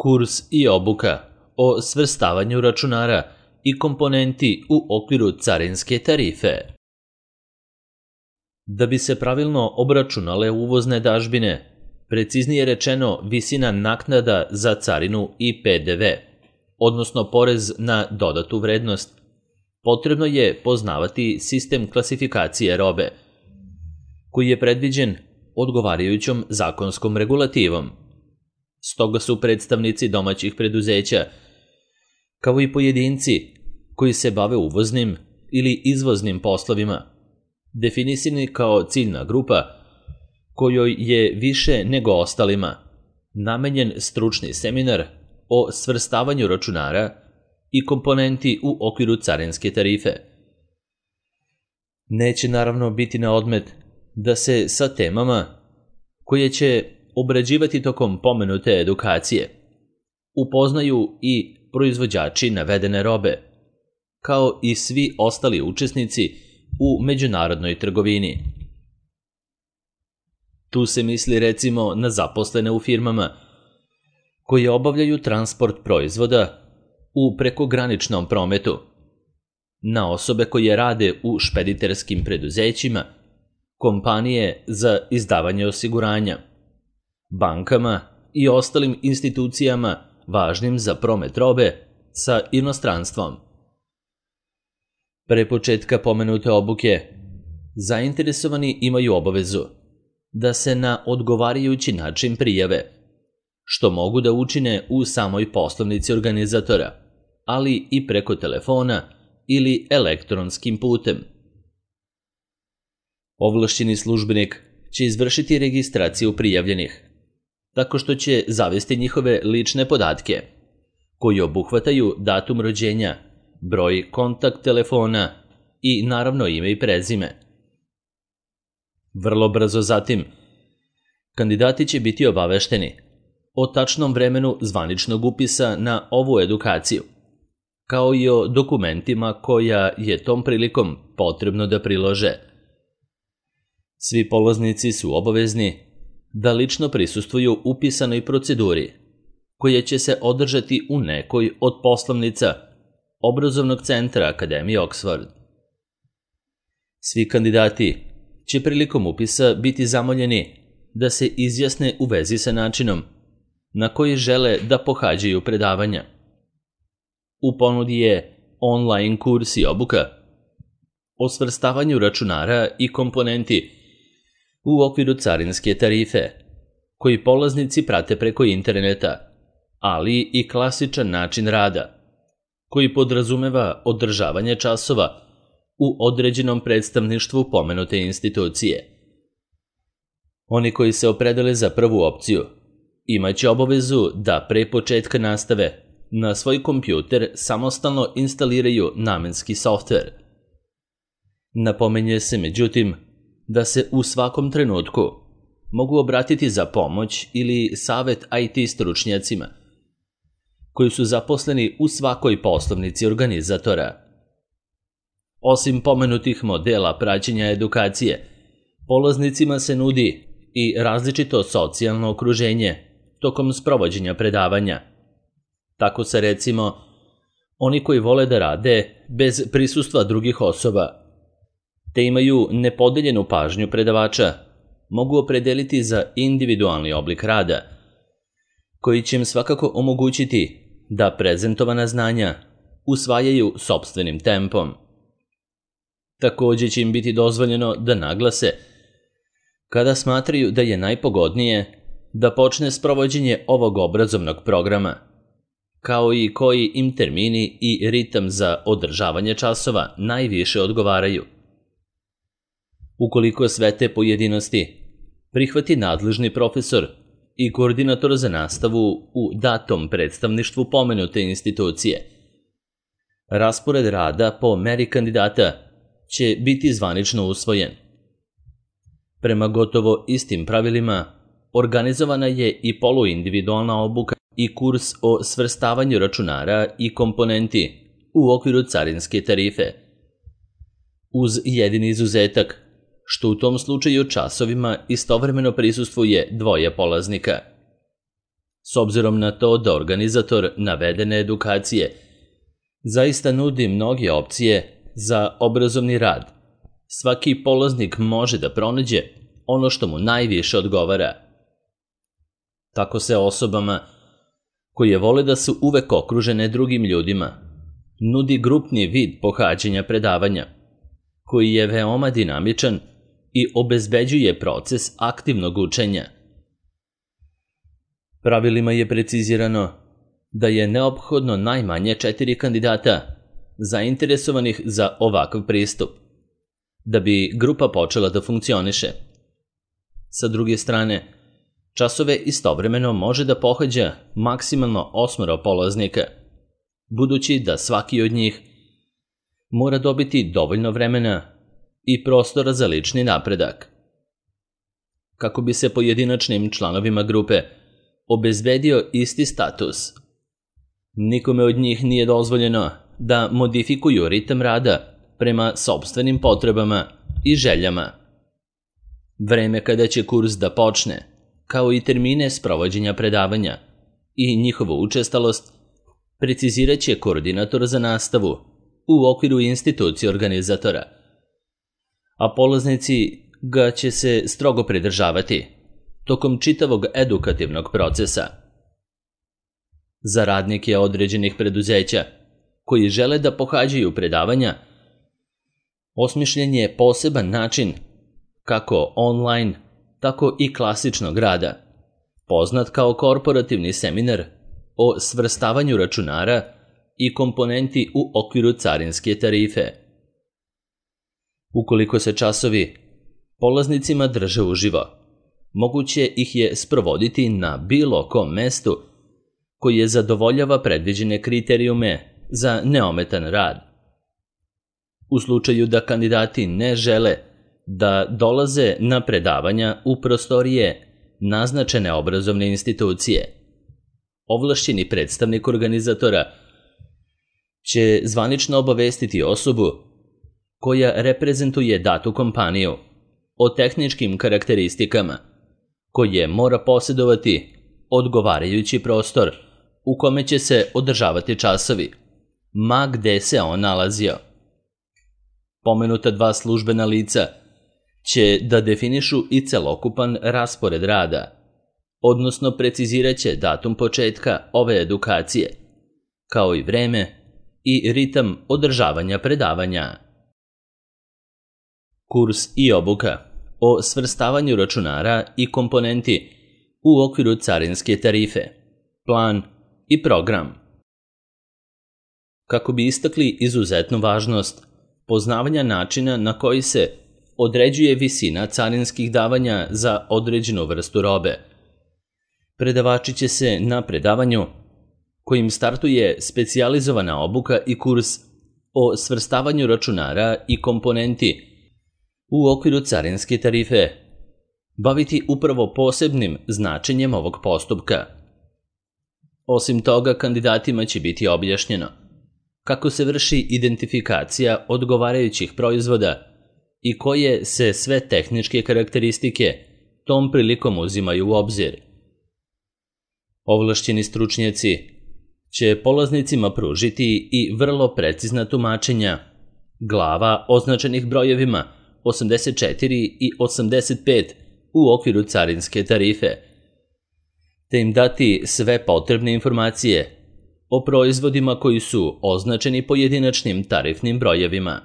Kurs i obuka o svrstavanju računara i komponenti u okviru carinske tarife. Da bi se pravilno obračunale uvozne dažbine, preciznije rečeno visina naknada za carinu i PDV, odnosno porez na dodatu vrednost, potrebno je poznavati sistem klasifikacije robe, koji je predviđen odgovarajućom zakonskom regulativom. Stoga su predstavnici domaćih preduzeća, kao i pojedinci koji se bave uvoznim ili izvoznim poslovima, definisani kao ciljna grupa kojoj je više nego ostalima namenjen stručni seminar o svrstavanju računara i komponenti u okviru carinske tarife. Neće naravno biti na odmet da se sa temama koje će obrađivati tokom pomenute edukacije upoznaju i proizvođači navedene robe, kao i svi ostali učesnici u međunarodnoj trgovini. Tu se misli recimo na zaposlene u firmama koje obavljaju transport proizvoda u prekograničnom prometu, na osobe koje rade u špediterskim preduzećima, kompanije za izdavanje osiguranja, bankama i ostalim institucijama važnim za promet robe sa inostranstvom. Pre početka pomenute obuke, zainteresovani imaju obavezu da se na odgovarajući način prijave, što mogu da učine u samoj poslovnici organizatora, ali i preko telefona ili elektronskim putem. Ovlašćeni službenik će izvršiti registraciju prijavljenih, tako što će zavesti njihove lične podatke, koji obuhvataju datum rođenja, broj kontakt telefona i naravno ime i prezime. Vrlo brzo zatim, kandidati će biti obavešteni o tačnom vremenu zvaničnog upisa na ovu edukaciju, kao i o dokumentima koja je tom prilikom potrebno da prilože. Svi polaznici su obavezni da lično prisustvuju upisanoj proceduri, koja će se održati u nekoj od poslovnica obrazovnog centra Akademije Oxford. Svi kandidati će prilikom upisa biti zamoljeni da se izjasne u vezi sa načinom na koji žele da pohađaju predavanja. U ponudi je online kurs i obuka o svrstavanju računara i komponenti u okviru carinske tarife, koji polaznici prate preko interneta, ali i klasičan način rada, koji podrazumeva održavanje časova u određenom predstavništvu pomenute institucije. Oni koji se opredele za prvu opciju imaće obavezu da pre početka nastave na svoj kompjuter samostalno instaliraju namenski softver. Napominje se međutim da se u svakom trenutku mogu obratiti za pomoć ili savet IT stručnjacima koji su zaposleni u svakoj poslovnici organizatora. Osim pomenutih modela praćenja edukacije, polaznicima se nudi i različito socijalno okruženje tokom sprovođenja predavanja. Tako se recimo, oni koji vole da rade bez prisustva drugih osoba, te imaju nepodeljenu pažnju predavača, mogu opredeliti za individualni oblik rada, koji će im svakako omogućiti da prezentovana znanja usvajaju sopstvenim tempom. Takođe će im biti dozvoljeno da naglase kada smatraju da je najpogodnije da počne sprovođenje ovog obrazovnog programa, kao i koji im termini i ritam za održavanje časova najviše odgovaraju. Ukoliko sve te pojedinosti prihvati nadležni profesor i koordinator za nastavu u datom predstavništvu pomenute institucije, raspored rada po meri kandidata će biti zvanično usvojen. Prema gotovo istim pravilima, organizovana je i poluindividualna obuka i kurs o svrstavanju računara i komponenti u okviru carinske tarife, uz jedini izuzetak što u tom slučaju časovima istovremeno prisustvuje dvoje polaznika. s obzirom na to da organizator navedene edukacije zaista nudi mnoge opcije za obrazovni rad. Svaki polaznik može da pronađe ono što mu najviše odgovara. Tako se osobama koje vole da su uvek okružene drugim ljudima nudi grupni vid pohađanja predavanja, koji je veoma dinamičan i obezbeđuje proces aktivnog učenja. Pravilima je precizirano da je neophodno najmanje 4 kandidata zainteresovanih za ovakav pristup, da bi grupa počela da funkcioniše. Sa druge strane, časove istovremeno može da pohađa maksimalno 8 polaznika, budući da svaki od njih mora dobiti dovoljno vremena i prostora za lični napredak. Kako bi se pojedinačnim članovima grupe obezbedio isti status, nikome od njih nije dozvoljeno da modifikuju ritam rada prema sopstvenim potrebama i željama. Vreme kada će kurs da počne, kao i termine sprovođenja predavanja i njihovu učestalost, precizirat će koordinator za nastavu u okviru institucije organizatora, a polaznici ga će se strogo pridržavati tokom čitavog edukativnog procesa. Za radnike određenih preduzeća koji žele da pohađaju predavanja, osmišljen je poseban način kako online, tako i klasičnog rada, poznat kao korporativni seminar o svrstavanju računara i komponenti u okviru carinske tarife. Ukoliko se časovi polaznicima drže uživo, moguće ih je sprovoditi na bilo kom mestu koje zadovoljava predviđene kriterijume za neometan rad. U slučaju da kandidati ne žele da dolaze na predavanja u prostorije naznačene obrazovne institucije, ovlašćeni predstavnik organizatora će zvanično obavestiti osobu koja reprezentuje datu kompaniju o tehničkim karakteristikama koje mora posjedovati odgovarajući prostor u kome će se održavati časovi, ma gde se on nalazio. Pomenuta 2 službena lica će da definišu i celokupan raspored rada, odnosno precizirat će datum početka ove edukacije, kao i vreme i ritam održavanja predavanja. Kurs i obuka o svrstavanju računara i komponenti u okviru carinske tarife, plan i program. Kako bi istakli izuzetnu važnost poznavanja načina na koji se određuje visina carinskih davanja za određenu vrstu robe, predavači će se na predavanju, kojim startuje specijalizovana obuka i kurs o svrstavanju računara i komponenti u okviru carinske tarife, baviti upravo posebnim značenjem ovog postupka. Osim toga, kandidatima će biti objašnjeno kako se vrši identifikacija odgovarajućih proizvoda i koje se sve tehničke karakteristike tom prilikom uzimaju u obzir. Ovlašćeni stručnjaci će polaznicima pružiti i vrlo precizna tumačenja glava označenih brojevima 84 i 85 u okviru carinske tarife, te im dati sve potrebne informacije o proizvodima koji su označeni pojedinačnim tarifnim brojevima.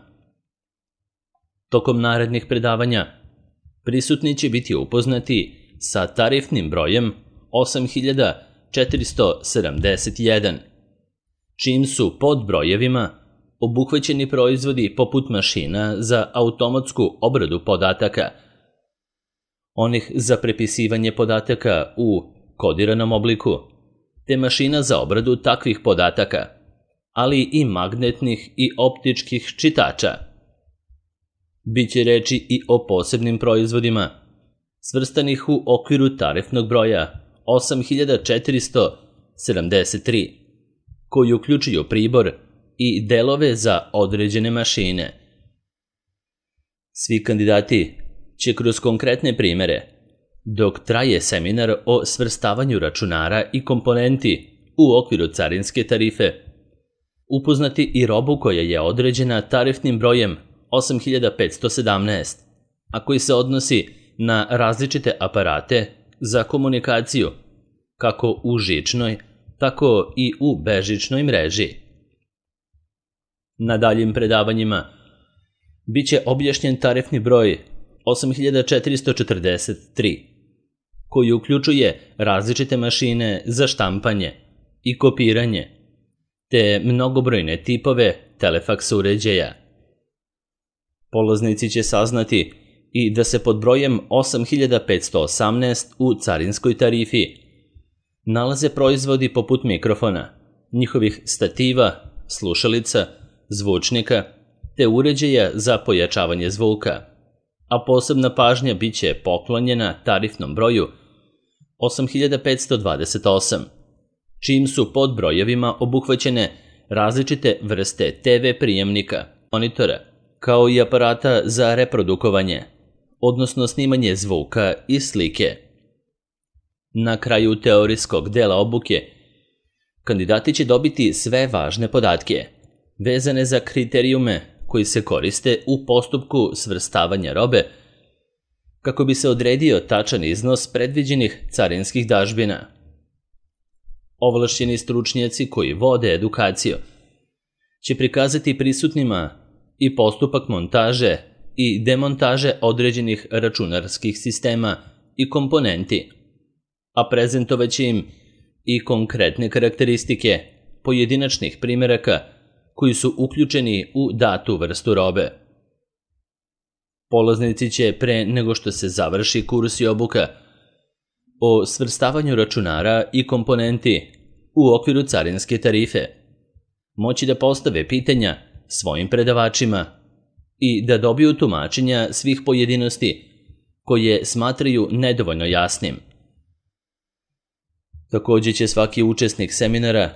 Tokom narednih predavanja prisutni će biti upoznati sa tarifnim brojem 8471, čim su pod brojevima obuhvaćeni proizvodi poput mašina za automatsku obradu podataka, onih za prepisivanje podataka u kodiranom obliku, te mašina za obradu takvih podataka, ali i magnetnih i optičkih čitača. Biće reči i o posebnim proizvodima, svrstanih u okviru tarifnog broja 8473, koji uključuju pribor i delove za određene mašine. Svi kandidati će kroz konkretne primere dok traje seminar o svrstavanju računara i komponenti u okviru carinske tarife, upoznati i robu koja je određena tarifnim brojem 8517, a koji se odnosi na različite aparate za komunikaciju, kako u žičnoj, tako i u bežičnoj mreži. Na daljim predavanjima biće objašnjen tarifni broj 8443, koji uključuje različite mašine za štampanje i kopiranje, te mnogobrojne tipove telefaks uređaja. Polaznici će saznati i da se pod brojem 8518 u carinskoj tarifi nalaze proizvodi poput mikrofona, njihovih stativa, slušalica, zvučnika te uređaja za pojačavanje zvuka, a posebna pažnja biće poklonjena tarifnom broju 8528, čijim su pod brojevima obuhvaćene različite vrste TV prijemnika, monitora, kao i aparata za reprodukovanje, odnosno snimanje zvuka i slike. Na kraju teorijskog dela obuke, kandidati će dobiti sve važne podatke, vezane za kriterijume koji se koriste u postupku svrstavanja robe, kako bi se odredio tačan iznos predviđenih carinskih dažbina. Ovlašćeni stručnjaci koji vode edukaciju će prikazati prisutnima i postupak montaže i demontaže određenih računarskih sistema i komponenti, a prezentovaće im i konkretne karakteristike pojedinačnih primjeraka koji su uključeni u datu vrstu robe. Polaznici će pre nego što se završi kurs i obuka o svrstavanju računara i komponenti u okviru carinske tarife moći da postave pitanja svojim predavačima i da dobiju tumačenja svih pojedinosti koje smatraju nedovoljno jasnim. Također će svaki učesnik seminara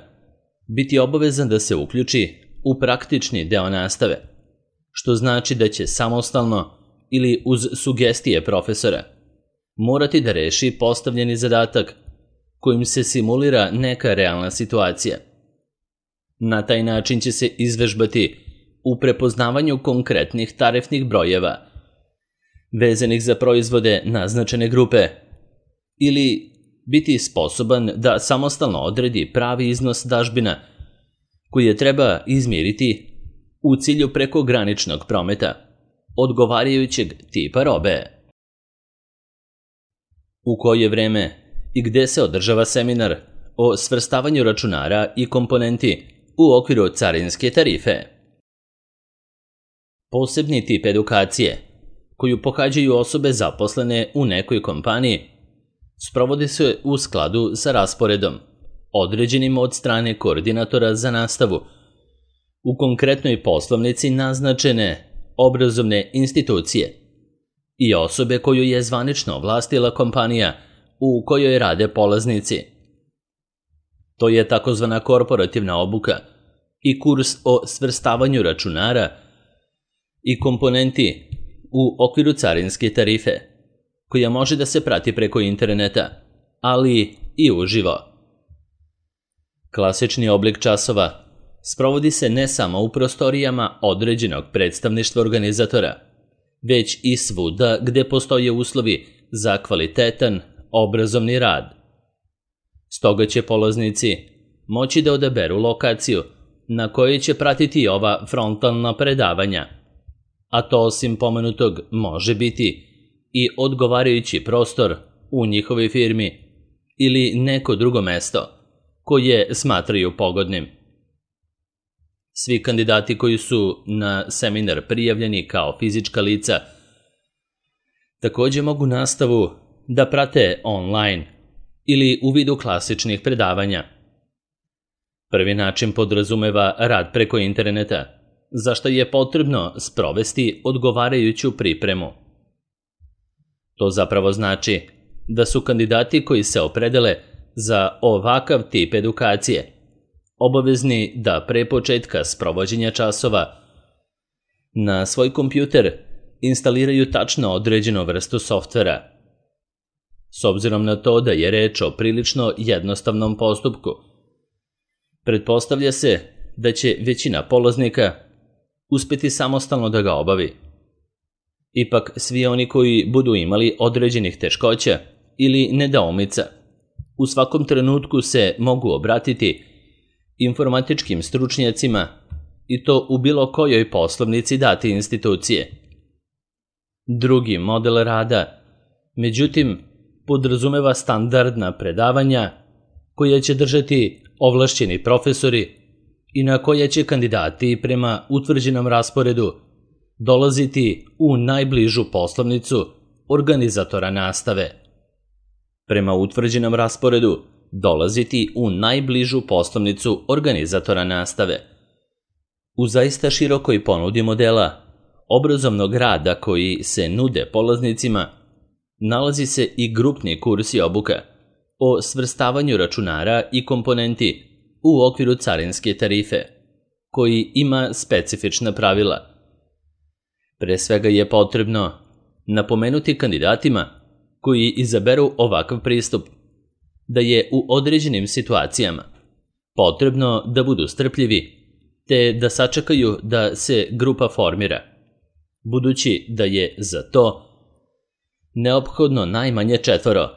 biti obavezan da se uključi u praktični deo nastave, što znači da će samostalno ili uz sugestije profesora morati da reši postavljeni zadatak kojim se simulira neka realna situacija. Na taj način će se izvežbati u prepoznavanju konkretnih tarifnih brojeva vezanih za proizvode naznačene grupe ili biti sposoban da samostalno odredi pravi iznos dažbina koji je treba izmiriti u cilju prekograničnog prometa odgovarajućeg tipa robe. U koje vreme i gde se održava seminar o svrstavanju računara i komponenti u okviru carinske tarife? Posebni tip edukacije, koju pohađaju osobe zaposlene u nekoj kompaniji, sprovodi se u skladu sa rasporedom, određenim od strane koordinatora za nastavu, u konkretnoj poslovnici naznačene obrazovne institucije i osobe koju je zvanično ovlastila kompanija u kojoj rade polaznici. To je takozvana korporativna obuka i kurs o svrstavanju računara i komponenti u okviru carinske tarife, koja može da se prati preko interneta, ali i uživo. Klasični oblik časova sprovodi se ne samo u prostorijama određenog predstavništva organizatora, već i svuda gde postoje uslovi za kvalitetan obrazovni rad. Stoga će polaznici moći da odaberu lokaciju na kojoj će pratiti ova frontalna predavanja, a to osim pomenutog može biti i odgovarajući prostor u njihovoj firmi ili neko drugo mesto koje smatraju pogodnim. Svi kandidati koji su na seminar prijavljeni kao fizička lica također mogu nastavu da prate online ili u vidu klasičnih predavanja. Prvi način podrazumeva rad preko interneta, za što je potrebno sprovesti odgovarajuću pripremu. To zapravo znači da su kandidati koji se opredele za ovakav tip edukacije obavezni da pre početka sprovođenja časova na svoj kompjuter instaliraju tačno određenu vrstu softvera. s obzirom na to da je reč o prilično jednostavnom postupku. Pretpostavlja se da će većina polaznika uspjeti samostalno da ga obavi. Ipak, svi oni koji budu imali određenih teškoća ili nedoumica, u svakom trenutku se mogu obratiti informatičkim stručnjacima i to u bilo kojoj poslovnici date institucije. Drugi model rada, međutim, podrazumeva standardna predavanja koja će držati ovlašćeni profesori i na koja će kandidati prema utvrđenom rasporedu dolaziti u najbližu poslovnicu organizatora nastave. Prema utvrđenom rasporedu dolaziti u najbližu poslovnicu organizatora nastave. U zaista širokoj ponudi modela obrazovnog rada koji se nude polaznicima nalazi se i grupni kurs i obuka o svrstavanju računara i komponenti u okviru carinske tarife, koji ima specifična pravila. Pre svega je potrebno napomenuti kandidatima koji izaberu ovakav pristup da je u određenim situacijama potrebno da budu strpljivi te da sačekaju da se grupa formira, budući da je za to neophodno najmanje 4,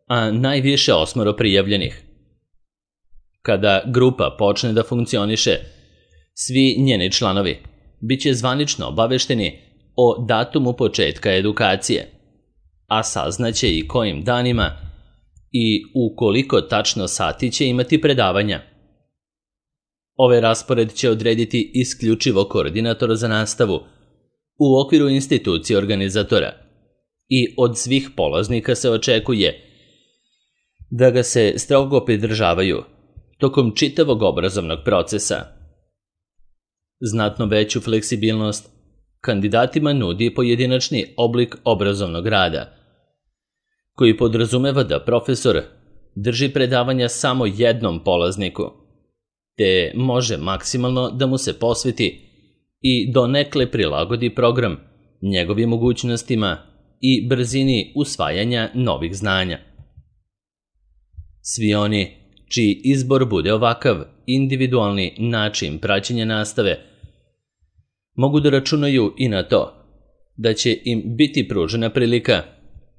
a najviše 8 prijavljenih. Kada grupa počne da funkcioniše, svi njeni članovi biće zvanično obavešteni o datumu početka edukacije, a saznaće i kojim danima i u koliko tačno sati će imati predavanja. Ovaj raspored će odrediti isključivo koordinator za nastavu u okviru institucije organizatora i od svih polaznika se očekuje da ga se strogo pridržavaju tokom čitavog obrazovnog procesa. Znatno veću fleksibilnost kandidatima nudi pojedinačni oblik obrazovnog rada, koji podrazumeva da profesor drži predavanja samo jednom polazniku, te može maksimalno da mu se posveti i donekle prilagodi program njegovim mogućnostima i brzini usvajanja novih znanja. Svi oni čiji izbor bude ovakav individualni način praćenja nastave mogu da računaju i na to da će im biti pružena prilika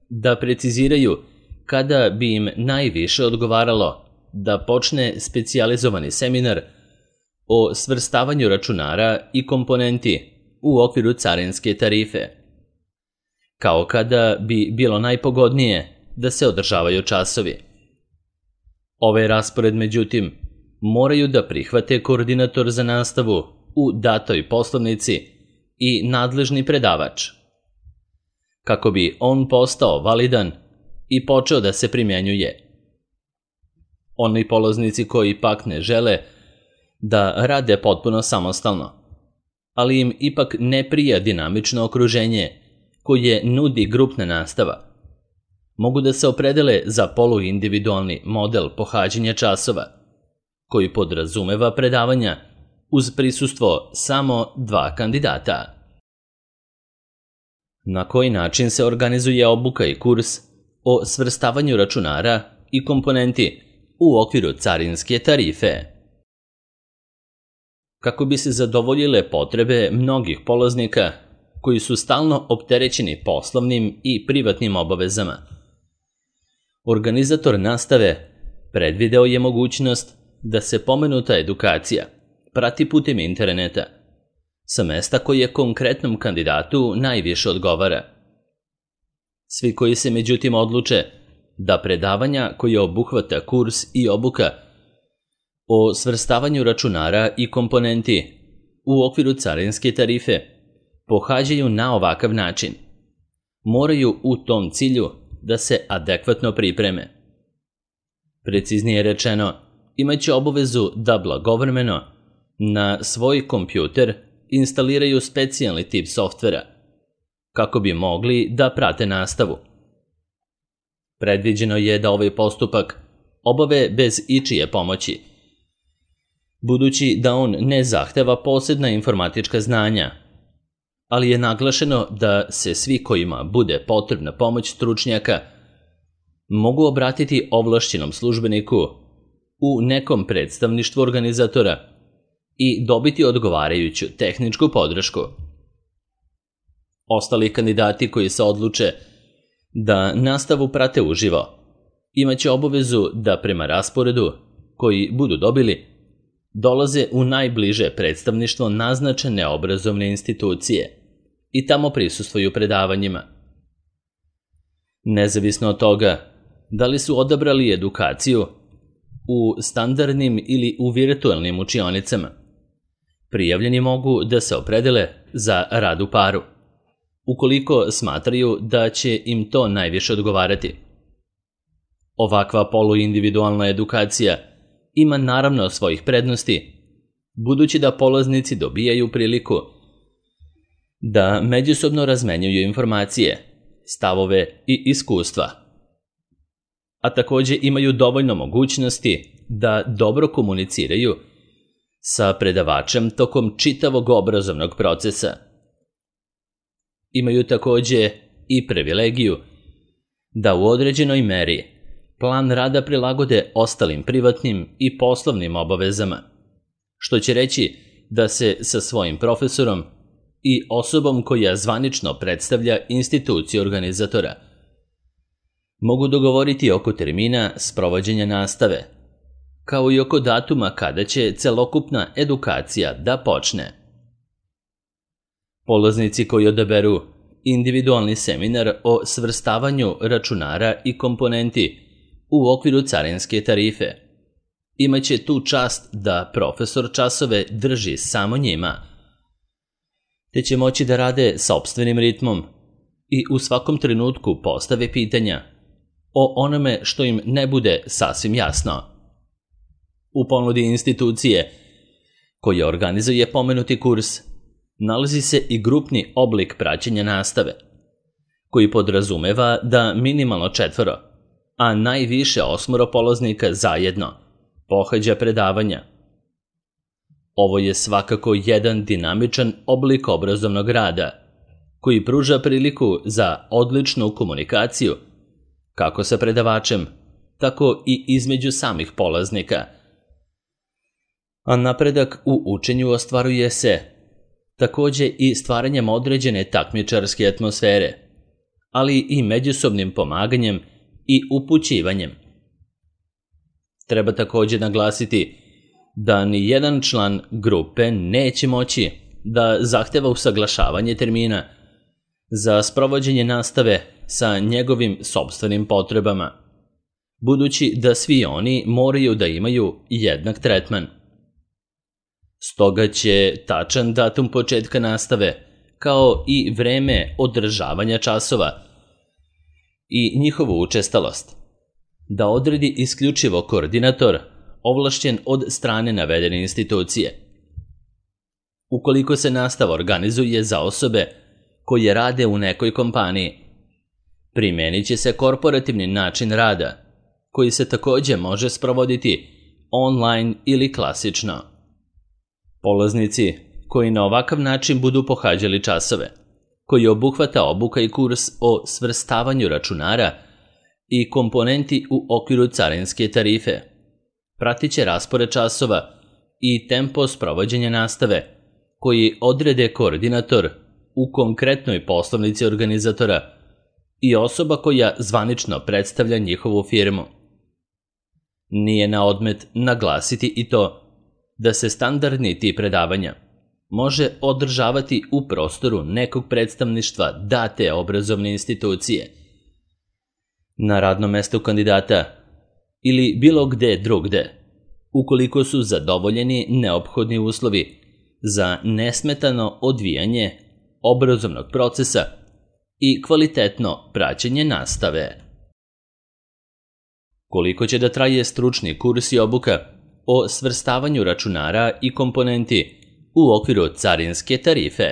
da preciziraju kada bi im najviše odgovaralo da počne specijalizovani seminar o svrstavanju računara i komponenti u okviru carinske tarife, kao kada bi bilo najpogodnije da se održavaju časovi. Ovaj raspored, međutim, moraju da prihvate koordinator za nastavu u datoj poslovnici i nadležni predavač, kako bi on postao validan i počeo da se primjenjuje. Oni polaznici koji pak ne žele da rade potpuno samostalno, ali im ipak ne prija dinamično okruženje koje nudi grupna nastava, mogu da se opredele za poluindividualni model pohađanja časova, koji podrazumeva predavanja uz prisustvo samo 2 kandidata. Na koji način se organizuje obuka i kurs o svrstavanju računara i komponenti u okviru carinske tarife? Kako bi se zadovoljile potrebe mnogih polaznika koji su stalno opterećeni poslovnim i privatnim obavezama, organizator nastave predvideo je mogućnost da se pomenuta edukacija prati putem interneta sa mesta koje konkretnom kandidatu najviše odgovara. Svi koji se međutim odluče da predavanja koje obuhvata kurs i obuka o svrstavanju računara i komponenti u okviru carinske tarife pohađaju na ovakav način, moraju u tom cilju da se adekvatno pripreme. Preciznije rečeno, imaće obavezu da blagovremeno na svoj kompjuter instaliraju specijalni tip softvera, kako bi mogli da prate nastavu. Predviđeno je da ovaj postupak obave bez ičije pomoći, budući da on ne zahteva posebna informatička znanja, ali je naglašeno da se svi kojima bude potrebna pomoć stručnjaka mogu obratiti ovlašćenom službeniku u nekom predstavništvu organizatora i dobiti odgovarajuću tehničku podršku. Ostali kandidati koji se odluče da nastavu prate uživo imaće obavezu da prema rasporedu koji budu dobili dolaze u najbliže predstavništvo naznačene obrazovne institucije i tamo prisustvuju predavanjima. Nezavisno od toga da li su odabrali edukaciju u standardnim ili u virtualnim učionicama, prijavljeni mogu da se opredele za rad u paru, ukoliko smatraju da će im to najviše odgovarati. Ovakva poluindividualna edukacija ima naravno svojih prednosti, budući da polaznici dobijaju priliku da međusobno razmenjuju informacije, stavove i iskustva, a takođe imaju dovoljno mogućnosti da dobro komuniciraju sa predavačem tokom čitavog obrazovnog procesa. Imaju takođe i privilegiju da u određenoj meri plan rada prilagode ostalim privatnim i poslovnim obavezama, što će reći da se sa svojim profesorom i osobom koja zvanično predstavlja instituciju organizatora mogu dogovoriti oko termina sprovođenja nastave, kao i oko datuma kada će celokupna edukacija da počne. Polaznici koji odaberu individualni seminar o svrstavanju računara i komponenti u okviru carinske tarife imaće tu čast da profesor časove drži samo njima, te će moći da rade sopstvenim ritmom i u svakom trenutku postave pitanja o onome što im ne bude sasvim jasno. U ponudi institucije koja organizuje pomenuti kurs nalazi se i grupni oblik praćenja nastave, koji podrazumeva da minimalno 4, a najviše 8 polaznika zajedno pohađa predavanja. Ovo je svakako jedan dinamičan oblik obrazovnog rada, koji pruža priliku za odličnu komunikaciju kako sa predavačem, tako i između samih polaznika. A napredak u učenju ostvaruje se takođe i stvaranjem određene takmičarske atmosfere, ali i međusobnim pomaganjem i upućivanjem. Treba takođe naglasiti da ni jedan član grupe neće moći da zahteva usaglašavanje termina za sprovođenje nastave sa njegovim sopstvenim potrebama, budući da svi oni moraju da imaju jednak tretman. Stoga će tačan datum početka nastave, kao i vreme održavanja časova i njihovu učestalost, da odredi isključivo koordinator ovlašćen od strane navedene institucije. Ukoliko se nastava organizuje za osobe koje rade u nekoj kompaniji, primenit će se korporativni način rada, koji se takođe može sprovoditi online ili klasično. Polaznici koji na ovakav način budu pohađali časove, koji obuhvata obuka i kurs o svrstavanju računara i komponenti u okviru carinske tarife, pratit će raspored časova i tempo sprovođenja nastave, koji odrede koordinator u konkretnoj poslovnici organizatora i osoba koja zvanično predstavlja njihovu firmu. Nije na odmet naglasiti i to da se standardni tip predavanja može održavati u prostoru nekog predstavništva date obrazovne institucije, na radnom mestu kandidata ili bilo gde drugde, ukoliko su zadovoljeni neophodni uslovi za nesmetano odvijanje obrazovnog procesa i kvalitetno praćenje nastave. Koliko će da traje stručni kurs i obuka o svrstavanju računara i komponenti u okviru carinske tarife?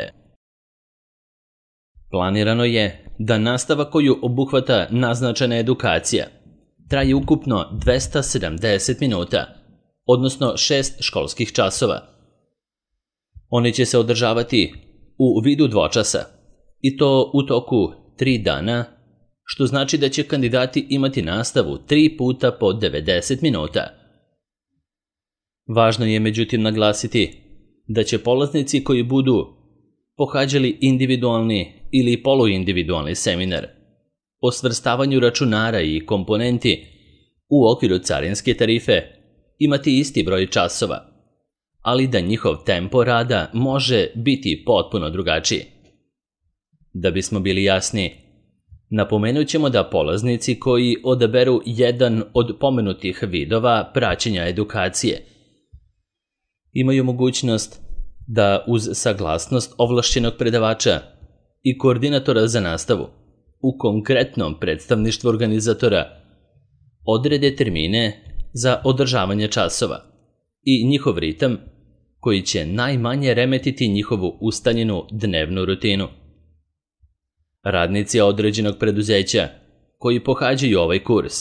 Planirano je da nastava koju obuhvata naznačena edukacija traje ukupno 270 minuta, odnosno 6 školskih časova. Oni će se održavati u vidu dvočasa, i to u toku 3 dana, što znači da će kandidati imati nastavu 3 puta po 90 minuta. Važno je međutim naglasiti da će polaznici koji budu pohađali individualni ili poluindividualni seminar o svrstavanju računara i komponenti u okviru carinske tarife imati isti broj časova, ali da njihov tempo rada može biti potpuno drugačiji. Da bismo bili jasni, napomenut ćemo da polaznici koji odaberu jedan od pomenutih vidova praćenja edukacije imaju mogućnost da uz saglasnost ovlašćenog predavača i koordinatora za nastavu u konkretnom predstavništvu organizatora odrede termine za održavanje časova i njihov ritam koji će najmanje remetiti njihovu ustaljenu dnevnu rutinu. Radnici određenog preduzeća koji pohađaju ovaj kurs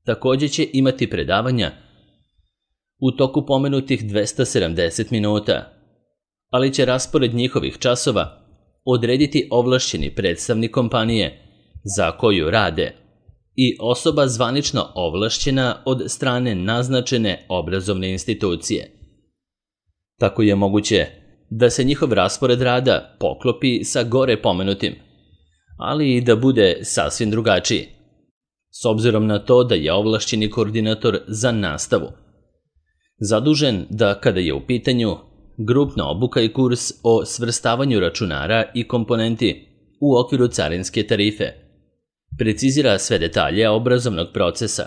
također će imati predavanja u toku pomenutih 270 minuta, ali će raspored njihovih časova odrediti ovlašćeni predstavnik kompanije za koju rade i osoba zvanično ovlašćena od strane naznačene obrazovne institucije. Tako je moguće da se njihov raspored rada poklopi sa gore pomenutim, ali i da bude sasvim drugačiji, s obzirom na to da je ovlašćeni koordinator za nastavu zadužen da kada je u pitanju grupna obuka i kurs o svrstavanju računara i komponenti u okviru carinske tarife precizira sve detalje obrazovnog procesa.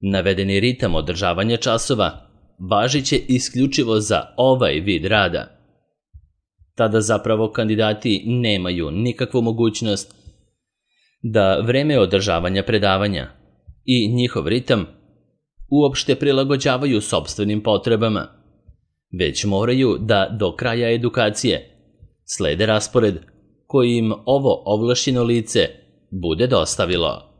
Navedeni ritam održavanja časova važit će isključivo za ovaj vid rada. Tada zapravo kandidati nemaju nikakvu mogućnost da vreme održavanja predavanja i njihov ritam uopšte prilagođavaju sopstvenim potrebama, već moraju da do kraja edukacije slede raspored koji im ovo ovlašćeno lice bude dostavilo.